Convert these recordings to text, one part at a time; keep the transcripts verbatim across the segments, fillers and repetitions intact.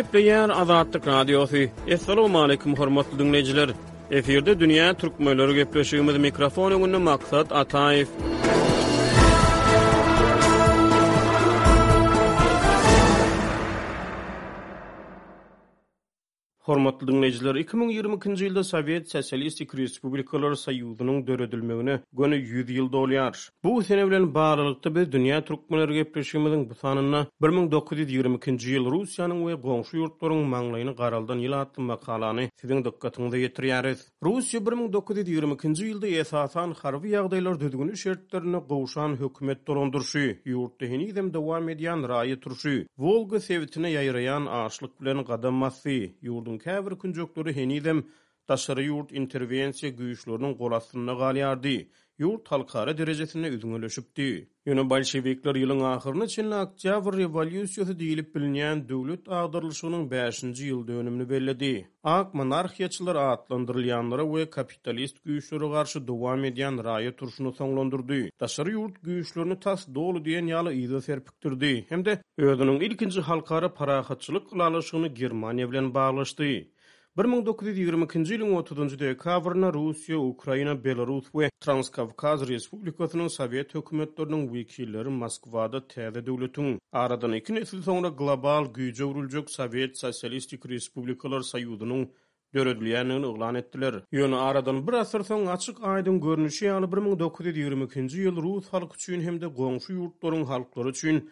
Gepleýär Azatlyk Radiosy. Assalamualaikum hormatly dinleýjiler. Efirde dünýä türkmenleri gepleşigimiz mikrofon öňünde Maksat Ataýew. Hormatly dinleýjiler, iki müň ýigrimi ikinji ýylda Sowet Sosialistik Respublikalar Soýuzynyň döredilmegine göni ýüz ýyl dolýar. Bu sene bilen baglylykda biz dünýä türkmenleri gepleşigimiziň bu sanynda bir müň dokuz ýüz ýigrimi ikinji ýyl Russiýanyň we goňşy ýurtlaryň maňlaýyny garaldan ýyl atly makalany siziň dykgatyňyza ýetirýäris. Russiýa bir müň dokuz ýüz ýigrimi ikinji ýylda esasan harby ýagdaýlar düzgüni şertlerinde gowşan hökümet dolandyryşy, ýurtda henizem dowam edýän raýat urşy, Wolga sebitine ýaýraýan açlyk bilen gadam basdy. Ýurduň käbir künjekleri henizem daşary ýurt interwensiýa güýçleriniň gol astynda galýardy. Ýurt halkara derejesinde üzňeleşipdi. Ýöne bolşevikler ýylyň ahyryna çenli Oktýabr rewolýusiýasy diýlip bilinýän döwlet agdarylyşygynyň bäşinji ýyl dönümini belledi. Ak monarhiýaçylar atlandyrylýanlara we kapitalist güýçlere garşy dowam edýän raýat urşuny soňlandyrdy. Daşary ýurt güýçlerini tas doly diýen ýaly yza serpikdirdi hem-de özüniň ilkinji halkara parahatçylyk ylalaşygyny Germaniýa bilen baglaşdy. Bir müň dokuz ýüz ýigrimi ikinji ýylyň otuzynjy dekabrynda Russiýa, Ukraina, Belarus we Transkawkaz Respublikasynyň Sowet hökümetleriniň wekilleri Moskwada täze döwletiň, aradan iki nesil soňra global güýje öwrüljek Sowet Sosialistik Respublikalar Soýuzynyň döredilýändigini yglan etdiler. Ýöne aradan bir asyr soň açyk aýdyň görnüşi ýaly bir müň dokuz ýüz ýigrimi ikinji ýyl rus halky üçin hem-de goňşy ýurtlaryň halklary üçin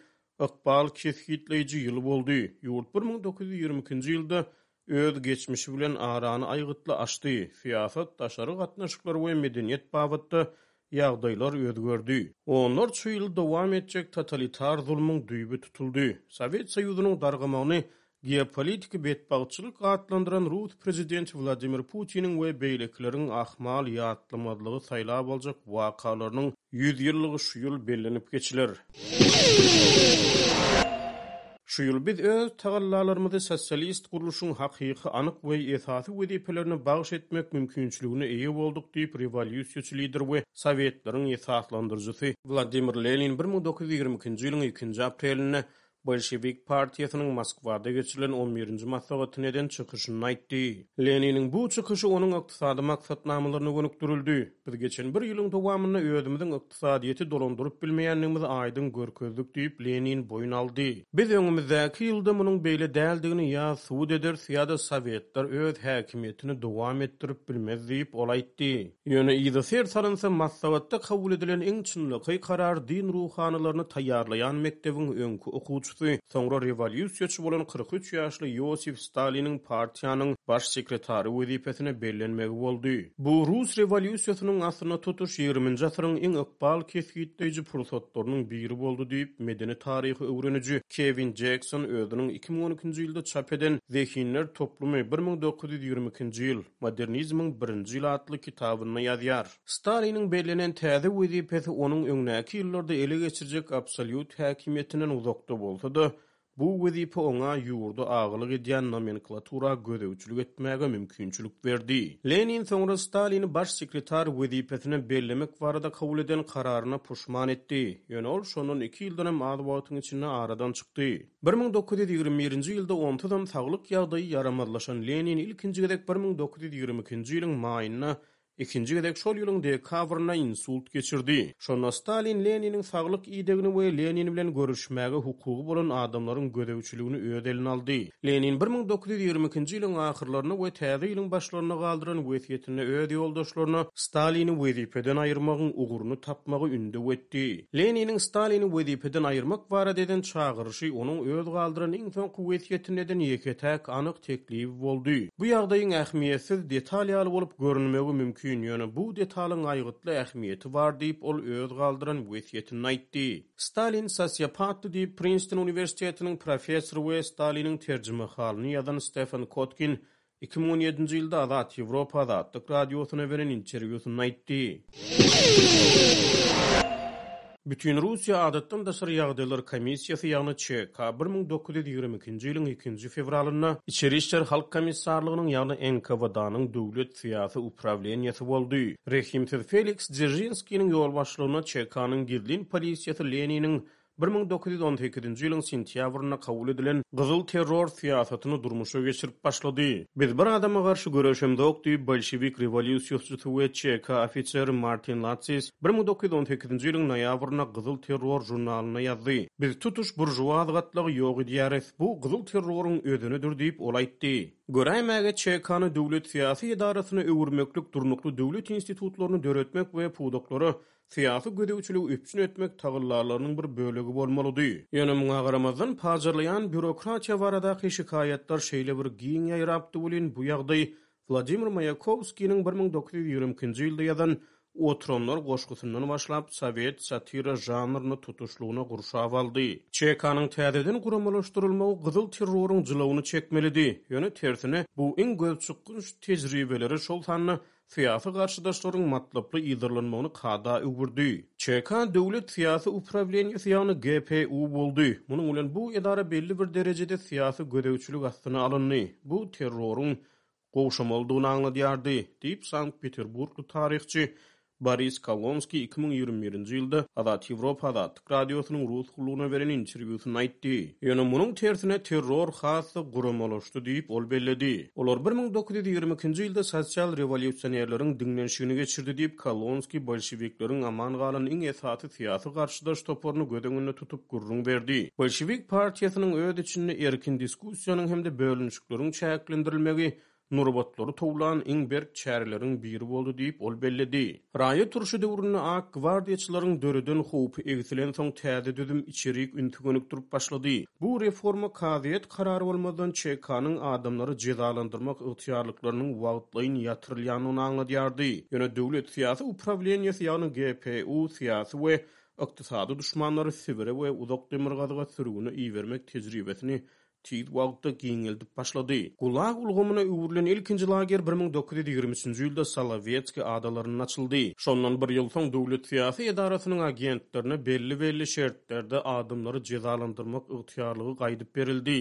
ykbal kesgitleýji ýyl boldy. Ýurt bir müň dokuz ýüz ýigrimi ikinji ýylda öz geçmişi bilen arany aýgytly açdy. Syýasat, daşary gatnaşyklar we medeniýet babatda ýagdaýlar özgerdi. Onlarça ýyl dowam etjek totalitar zulmuň düýbi tutuldy. Sowet Soýuzynyň dargamagyny geopolitiki betbagtçylyk atlandyran Rus prezidenti Wladimir Putiniň we beýlekileriň ahmal ýatlamazlygy saýlap aljak wakalarynyň ýüz ýyllygy şu ýyl bellenip geçiler. Şu ýyl biz öz tagallalarymyzy sosialist gurluşyň hakyky, anyk we esasy wezipelerini bagyş etmek mümkinçiligine eýe bolduk diýip, rewolýusiýaçy lider we Sowetleriň esaslandyryjysy Wladimir Lenin bir müň dokuz ýüz ýigrimi ikinji ýylyň ikinji aprelinde Bolşewik partiýasynyň Moskwada geçirilen on birinji maslahatyna eden çykyşynda aýtdy. Leniniň bu çykyşy onuň ykdysady maksatnamalaryna gönükdirildi. Biz geçen bir ýylyň dowamynda özümiziň ykdysadyýeti dolandyryp bilmeýändigimizi aýdyň görkezdik diýip, Lenin boýun aldy. Biz öňümizdäki ýylda munuň beýle däldigini ýa subut ederis ýa-da Sowetler öz häkimiýetini dowam etdirip bilmez diýip, ol aýtdy. Ýöne yza ser salynsa, maslahatda kabul edilen iň çynlakaý karar din ruhanylaryny taýýarlaýan mekdebiň öňki okuwçysy, soňra rewolýusiýaçy bolan kyrk üç ýaşly Ýosif Staliniň partiýanyň baş sekretary wezipesine bellenmegi boldy. Bu rus rewolýusiýasynyň aslynda tutuş ýigriminji asyryň iň ykbal kesgitleýji pursatlarynyň biri boldy diýip, medeni taryhy öwreniji Kewin Jekson özüniň iki müň on ikinji ýylda çap eden Zehinler toplumy bir müň dokuz ýüz ýigrimi ikinji ýyl, Modernizmiň birinji ýyly atly kitabynda ýazýar. Staliniň bellenen täze wezipesi onuň öňdäki ýyllarda ele geçirjek absolýut häkimiýetinden uzakda bolsa-da, bu wezipe oňa ýurda agalyk edýän nomenklatura gözegçilik etmäge mümkinçilik berdi. Lenin soňra Stalini baş sekretar wezipesine bellemek barada kabul eden kararyna puşman etdi. Ýöne ol şondan iki ýyldanam az wagtyň içinde aradan çykdy. Bir müň dokuz ýüz ýigrimi birinji ýylda onsuzam saglyk ýagdaýy ýaramazlaşan Lenin ilkinji gezek bir müň dokuz ýüz ýigrimi ikinji ýylyň maýynda, ikinji gezek şol ýylyň dekabrynda insult geçirdi. Şonda Stalin Leniniň saglyk idegini we Lenin bilen görüşmäge hukugy bolan adamlaryň gözegçiligini öz eline aldy. Lenin bir müň dokuz ýüz ýigrimi ikinji ýylyň ahyrlarynda we täze ýylyň başlarynda galdyran wesýetinde öz ýoldaşlaryna Stalini wezipeden aýyrmagyň ugruny tapmagy ündew etdi. Leniniň Stalini wezipeden aýyrmak barada eden çagyryşy onuň öz galdyran iň soňky wesýetinde eden ýeke-täk anyk teklibi boldy. Bu ýagdaýyň ähmiýetsiz detal ýaly bolup görünmegi mümkin, ýöne bu detalyň aýgytly ähmiýeti bar diýip, ol öz galdyran wesýetinde aýtdy. Stalin sosiopatdy diýip, Princeton uniwersitetiniň professory we Staliniň terjimehalyny ýazan Stefan Kotkin iki müň on ýedinji ýylda Azat Ýewropa Azatlyk radiosyna beren interwýusynda aýtdy. Bütün Russiýa Adatdan daşary ýagdaýlar komissiýasy, ýagny Ç K bir müň dokuz ýüz ýigrimi ikinji ýylyň ikinji fewralynda Içeri işler halk komissarlygynyň, ýagny N K W D-nyň döwlet syýasy uprawleniýasy boldy. Rehimsiz Feliks Dzeržinskiniň ýolbaşçylygynda Ç K-nyň gizlin polisiýasy Leniniň bir müň dokuz ýüz on sekizinji ýylyň sentýabrynda kabul edilen gyzyl terror syýasatyny durmuşa geçirip başlady. Biz bir adama garşy göreşemzok diýip, bolşewik rewolýusiýaçysy we Ç K ofiseri Martin Latsis bir müň dokuz ýüz on sekizinji ýylyň noýabrynda Gyzyl terror žurnalynda ýazdy. Biz tutuş burjuaz gatlagy ýok edýäris. Bu gyzyl terroryň özenidir diýip, ol aýtdy. Göräýmäge Ç K-ny döwlet syýasy edarasyna öwürmeklik, durnukly döwlet institutlaryny döretmek we pudaklara syýasy gözegçiligi üpjün etmek tagallalarynyň bir bölegi bolmalydy. Ýöne muňa garamazdan pajarlaýan býurokratiýa baradaky şikaýatlar şeýle bir giň ýaýrapdy welin bu ýagdaý Wladimir Maýakowskiniň bir müň dokuz ýüz ýigrimi ikinji ýylda ýazan Oturanlar goşgusyndan başlap sowet satira žanryny tutuşlygyna gurşap aldy. Ç K-nyň täzeden guramalaşdyrylmagy gyzyl terroryň jylawyny çekmelidi. Ýöne tersine bu iň gözçykgynç tejribeleri şol sanda syýasy garşydaşlaryň matlaply ýyldyrlanmagyny kada öwürdi. Ç K döwlet syýasy uprawleniýasy ýagny G P U boldy. Munuň bilen bu edara belli bir derejede syýasy gözegçilik astyna alyndy. Bu terroryň gowşamalydygyny aňladýardy, diýip Sankt-Peterburgly taryhçy Boris Kolonskiý iki müň ýigrimi birinji ýylda Azat Ýewropa Azatlyk Radiosynyň rus gullugyna beren interwýusynda aýtdy. Ýöne munuň tersine terror has-da guramalaşdy diýip ol belledi. Olar bir müň dokuz ýüz ýigrimi ikinji ýylda sosial rewolýusionerleriň diňlenişigini geçirdi diýip Kolonskiý bolşewikleriň aman galan iň esasy syýasy garşydaş toparyny göz öňünde tutup gürrüň berdi. Bolşewik partiýasynyň öz içinde erkin diskussiýanyň hem-de bölünişikleriň çäklendirilmegi nurbatlary towlan iň berk çäreleriň biri boldy diýip ol belledi. Raýat urşy döwründe ak gwardiýaçylaryň döreden howpy egsilen soň täze düzüm içerik ünsi gönükdirip başlady. Bu reforma kazyýet karary bolmazdan Ç K-nyň adamlary jezalandyrmak ygtyýarlyklarynyň wagtlaýyn ýatyrylýanyny aňladýardy. Ýöne döwlet syýasy uprawleniýasy ýagny G P U syýasy we ykdysady düşmanlary Sibire we uzak demirgazyga sürgüne ibermek tejribesini tiz wagtda giňeldip başlady. Gulag ulgamyna öwrülen ilkinji lager bir müň dokuz ýüz ýigrimi üçünji ýylda Solowetski adalarynda açyldy. Şondan bir ýyl soň döwlet syýasy edarasynyň agentlerine belli-belli şertlerde adamlary jezalandyrmak ygtyýarlygy gaýdyp berildi.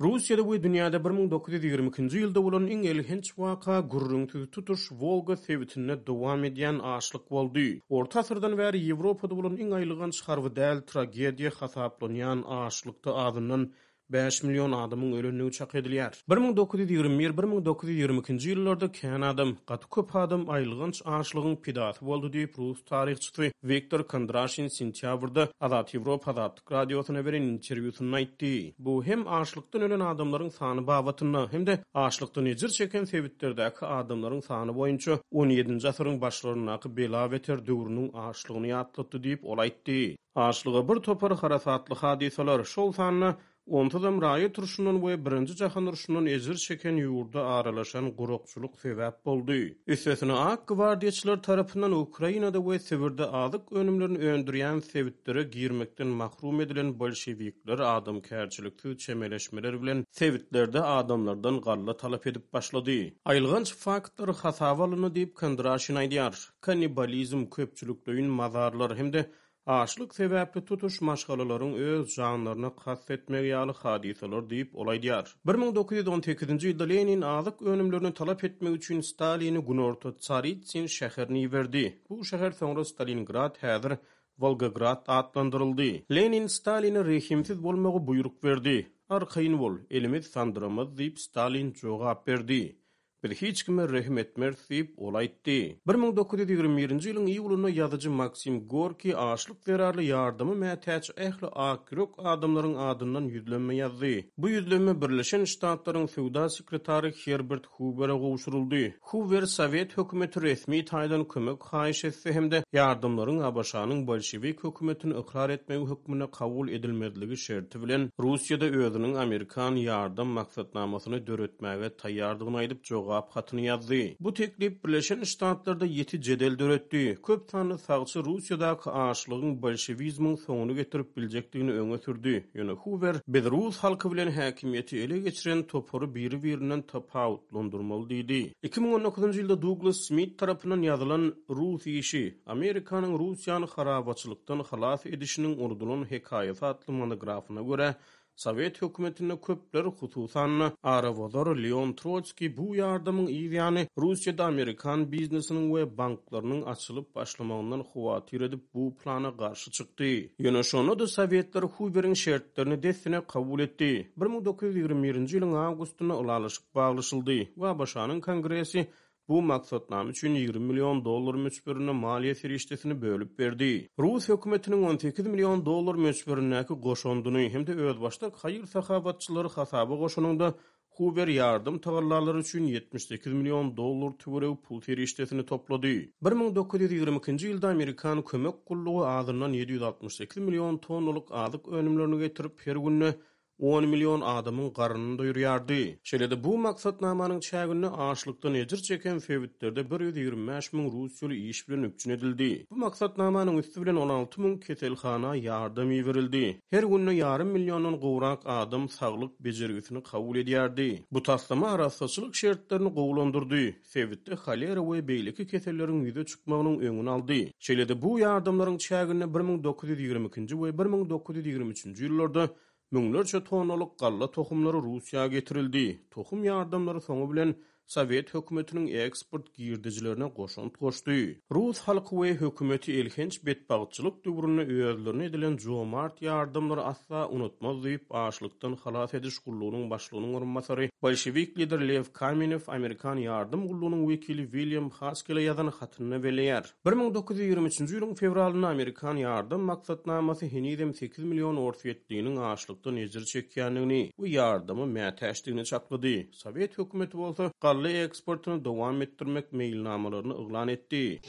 Russiýada we dünýäde bir müň dokuz ýüz ýigrimi ikinji ýylda bolan iň elhenç waka gürrüňsiz tutuş Wolga sebitinde dowam edýän açlyk boldy. Orta asyrdan bäri Ýewropada bolan iň aýylganç harby däl tragediýa hasaplanýan açlykda azyndan bäş million adamyň ölendigi çak edilýär. bir müň dokuz ýüz ýigrimi bir, bir müň dokuz ýüz ýigrimi ikinji ýyllarda kän adam, gaty köp adam aýylganç açlygyň pidasy boldy diýip rus taryhçysy Wiktor Kondraşin sentýabrda Azat Ýewropa Azatlyk Radiosyna beren interwýusynda aýtdy. Bu hem açlykdan ölen adamlaryň sany babatynda hem-de açlykdan ejir çeken sebitlerdäki adamlaryň sany boýunça on ýedinji asyryň başlaryndaky bela-beter döwrüniň açlygyny ýatlatdy diýip ol aýtdy. Açlyga bir topar harasatly hadysalar, şol sanda onsuzam raýat urşundan we birinji jahan urşundan ejir çeken ýurda aralaşan gurakçylyk sebäp boldy. Üstesine ak gwardiýaçylar tarapyndan Ukrainada we Sibirde azyk önümlerini öndürýän sebitlere girmekden mahrum edilen bolşewikler adamkärçiliksiz çemeleşmeler bilen sebitlerde adamlardan galla talap edip başlady. Aýylganç faktlar hasaba alyndy diýip Kondraşin aýdýar. Kannibalizm, köpçülikleýin mazarlar hem-de açlyk sebäpli tutuş maşgalalaryň öz janlaryna kast etmegi ýaly hadysalar diýip ol aýdýar. bir müň dokuz ýüz on sekizinji ýylda Lenin azyk önümlerini talap etmek üçin Stalini Günorta Tsaritsyn şäherine iberdi. Bu şäher soňra Stalingrad, häzir Wolgograd atlandyryldy. Lenin Staline rehimsiz bolmagy buýruk berdi. Arkaýyn bol, elimiz sandyramaz diýip Stalin jogap berdi. Biz hiç kime rehim etmeris diýip ol aýtdy. bir müň dokuz ýüz ýigrimi birinji ýylyň iýulynda ýazyjy Maksim Gorki açlyk zerarly ýardama mätäç ähli ak ýürek adamlaryň adyndan ýüzlenme ýazdy. Bu ýüzlenme Birleşen Ştatlaryň söwda sekretary Herbert Hoover'e gowşuryldy. Hoover Sowet hökümeti resmi taýdan kömek haýyş etse hem-de ýardamlaryň A B Ş-nyň bolşewik hökümetini ykrar etmegi hökmünde kabul edilmezligi şerti bilen Russiýada özüniň Amerikan ýardam maksatnamasyny döretmäge taýýardygyny aýdyp jogap hatyny ýazdy. Bu teklip Birleşen Ştatlarda ýeti jedel döretdi. Köp sanly sagçy Russiýadaky açlygyň bolşewizmiň soňuny getirip biljekdigini öňe sürdi. Ýöne Hoover biz rus halky bilen häkimiýeti ele geçiren topary biri-birinden tapawutlandyrmaly diýdi. iki müň on dokuzynjy ýylda Douglas Smith tarapyndan ýazylan Rus işi, Amerikanyň Russiýany harabaçylykdan halas edişiniň unudylan hekaýasy atly monografyna görä, Sowet hökümetinde köpler, hususan-da, arabozar Leon Trotskiý bu ýardamyň yz ýany Russiýada amerikan biznesiniň we banklarynyň açylyp başlamagyndan howatyr edip bu plana garşy çykdy. Ýöne şonda-da Sowetler Huweriň şertlerini dessine kabul etdi. bir müň dokuz ýüz ýigrimi birinji ýylyň awgustynda ylalaşyk baglaşyldy we ABŞ-nyň Kongresi bu maksatnama üçin ýigrimi million dollar möçberinde maliýe serişdesini bölüp berdi. Rus hökümetiniň on sekiz million dollar möçberindäki goşandyny hem-de özbaşdak haýyr-sahawatçylary hasaba goşanynda Huwer ýardam tagallalary üçin ýetmiş sekiz million dollar töweregi pul serişdesini toplady. Bir müň dokuz ýüz ýigrimi ikinji ýylda Amerikan kömek gullugy azyndan ýedi ýüz altmyş sekiz million tonnalyk azyk önümlerini getirip, her günde on million adamyň garnyny doýurýardy. Şeýle-de bu maksatnamanyň çäginde açlykdan ejir çeken sebitlerde bir ýüz ýigrimi bäş müň russiýaly iş bilen üpjün edildi. Bu maksatnamanyň üsti bilen on alty müň keselhana ýardam iberildi. Her günde ýarym milliondan gowrak adam saglyk bejergisini kabul edýärdi. Bu taslama arassaçylyk şertlerini gowulandyrdy, sebitde holera we beýleki keselleriň ýüze çykmagynyň öňüni aldy. Şeýle-de bu ýardamlaryň çäginde bir müň dokuz ýüz ýigrimi ikinji we bir müň dokuz ýüz ýigrimi üçünji ýyllarda müňlerçe tonnalyk galla tohumlary Russiýa getirildi. Tohum ýardamlary soňy bilen Sowet hökümetiniň eksport girdejilerine goşant goşdy. Rus halky we hökümeti elhenç betbagtçylyk döwründe özlerine edilen jomart ýardamlary asla unutmaz diýip, açlykdan halas ediş gullugynyň başlygynyň orunbasary bolşewik lider Lew Kamenew Amerikan ýardam gullugynyň wekili William Haskele ýazan hatynda belleýär. Bir müň dokuz ýüz ýigrimi üçünji ýylyň fewralynda Amerikan ýardam maksatnamasy henizem sekiz million orsýetliniň açlykdan ejir çekýändigini we ýardama mätäçdigini çaklady. Sowet hökümeti bolsa galla eksportyny dowam etdirmek meýilnamalaryny yglan etdi.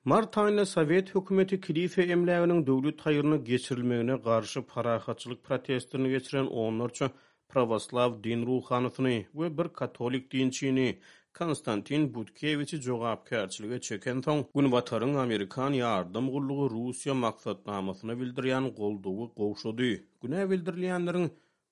Mart aýynda Sowet hökümeti kilise emläginiň döwlet haýryna geçirilmegine garşy parahatçylyk protestlerini geçiren onlarça prawoslaw din ruhanysyny we bir katolik dinçini Konstantin Butkewiçi jogapkärçilige çekensoň, Günbataryň Amerikan ýardam gullugy Russiýa maksatnamasyna bildirýän goldawy gowşady. Günä bildirilýänleriň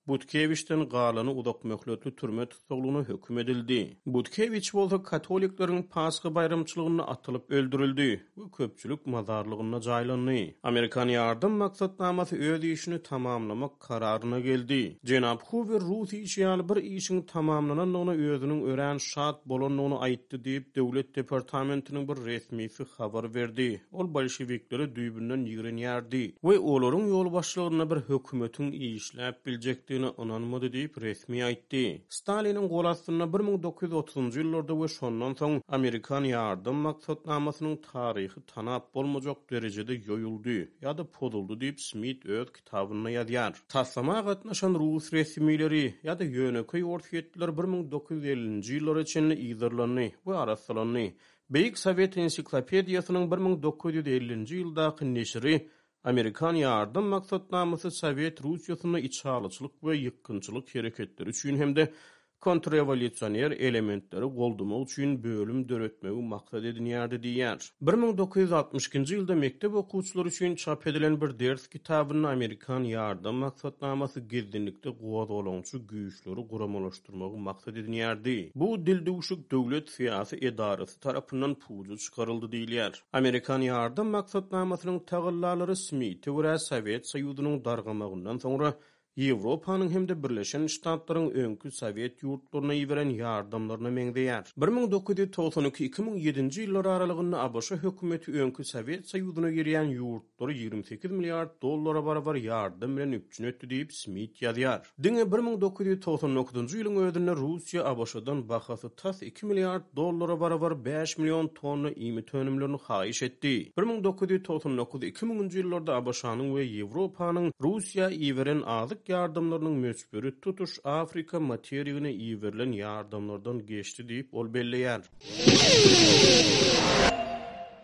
Butkewiçden galany uzak möhletli türme tussaglygyna höküm edildi. Butkewiç bolsa katolikleriň Pasha baýramçylygynda atylyp öldürildi we köpçülik mazarlygynda jaýlandy. Amerikan ýardam maksatnamasy öz işini tamamlamak kararyna geldi. Jenap Huwer Rus işi ýaly bir işiň tamamlanandygyna özüniň örän şat bolandygyny aýtdy diýip, Döwlet departamentiniň bir resmisi habar berdi. Ol bolşewikleri düýbünden ýigrenýärdi we olaryň ýolbaşçylygynda bir hökümetiň işläp biljekdigine ynanmady diýip resmi aýtdy. Staliniň gol astynda bir müň dokuz ýüz otuzynjy ýyllarda we şondan soň Amerikan ýardam maksatnamasynyň taryhy tanap bolmajak derejede ýoýuldy ýa-da pozuldy diýip Smit öz kitabynda ýazýar. Taslama gatnaşan rus resmileri ýa-da ýönekeý orsýetliler bir müň dokuz ýüz ellinji ýyllara çenli yzarlandy we arassalandy. Beýik Sowet ensiklopediýasynyň bir müň dokuz ýüz ellinji ýyldaky neşiri Amerikan ýardam maksatnamasy Sowet Russiýasynda içalyçylyk we ýykgynçylyk hereketleri üçin hem-de kontrrewolýusioner elementleri goldamak üçin bölüm döretmegi maksat edinýärdi diýýär. Bir müň dokuz ýüz altmyş ikinji ýylda mekdep okuwçylary üçin çap edilen bir ders kitabynda Amerikan ýardam maksatnamasy gizlinlikde gozgalaňçy güýçleri guramalaşdyrmagy maksat edinýärdi. Bu dildüwşük döwlet syýasy edarasy tarapyndan puja çykaryldy diýilýär. Amerikan ýardam maksatnamasynyň tagallalary Smite görä Sowet Soýuzynyň dargamagyndan soňra Ýewropanyň hem-de Birleşen Ştatlaryň öňki Sowet ýurtlaryna iberen ýardamlaryna meňzeýär. bir müň dokuz ýüz togsan iki iki müň ýedinji ýyllar aralygynda ABŞ hökümeti öňki Sowet Soýuzyna girýän ýurtlary ýigrimi sekiz milliard dollara barabar ýardam bilen üpjün etdi diýip Smit ýazýar. Diňe bir müň dokuz ýüz togsan dokuzynjy ýylyň özünde Russiýa ABŞ-dan bahasy tas iki milliard dollara barabar bäş million tonna iýmit önümlerini haýyş etdi. bir müň dokuz ýüz togsan dokuz iki müňünji ýyllarda ABŞ-nyň we Ýewropanyň Russiýa iberen azyk ýardamlarynyň möçberi tutuş Afrika materigine iberilen ýardamlardan geçdi diýip ol belleýär.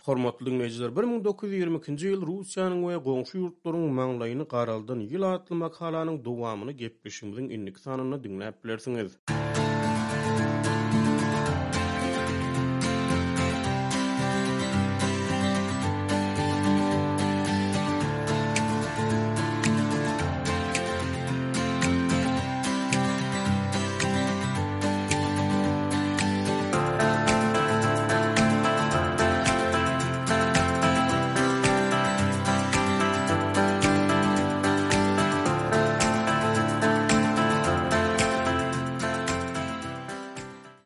Hormatly dinleýjiler, bir müň dokuz ýüz ýigrimi ikinji ýyl Russiýanyň we goňşy ýurtlaryň maňlaýyny garaldan ýyl atly makalanyň dowamyny gepleşigimiziň indiki sanynda diňläp bilersiňiz.